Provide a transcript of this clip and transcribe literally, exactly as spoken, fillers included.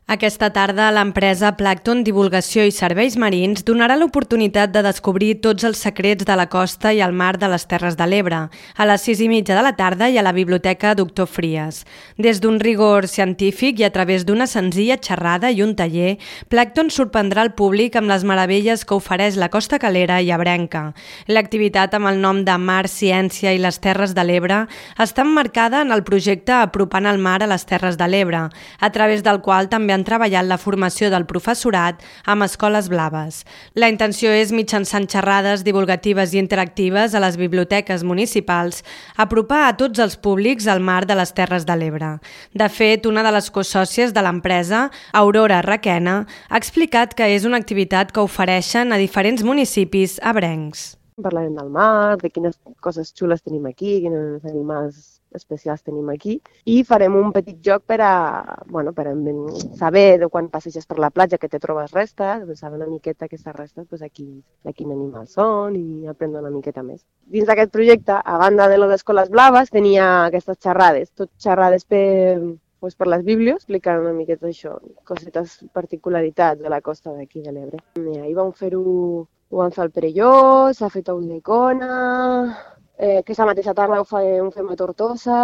Aquesta tarda, l'empresa Plàncton Divulgació i Serveis Marins donarà l'oportunitat de descobrir tots els secrets de la costa i el mar de les Terres de l'Ebre, a les sis i mitja de la tarda i a la Biblioteca Doctor Fries. Des d'un rigor científic i a través d'una senzilla xerrada i un taller, Plàncton sorprendrà el públic amb les meravelles que ofereix la costa calera i ebrenca. L'activitat amb el nom de Mar, Ciència i les Terres de l'Ebre està emmarcada en el projecte Apropant el mar a les Terres de l'Ebre, a través del qual també han treballat la formació del professorat amb escoles blaves. La intenció és, mitjançant xerrades divulgatives i interactives a les biblioteques municipals, apropar a tots els públics al mar de les Terres de l'Ebre. De fet, una de les cosòcies de l'empresa, Aurora Requena, ha explicat que és una activitat que ofereixen a diferents municipis ebrencs. Parlarem del mar, de quines coses xules tenim aquí, quins animals especials tenim aquí, i farem un petit joc per a, bueno, per a saber de quan passeges per la platja que te trobes restes, saber una miqueta aquestes restes, doncs aquí, de quin animal són i aprendre una miqueta més. Dins d'aquest projecte, a banda de les escoles blaves, tenia aquestes xerrades, tot xerrades per, doncs per les bíblies, explicant una miqueta això, cosetes, particularitats de la costa d'aquí de l'Ebre. I ahir vam fer-ho, ho vam fer al Perelló, s'ha fet a Ulldecona, eh, aquesta mateixa tarda ho, fa, ho fem a Tortosa.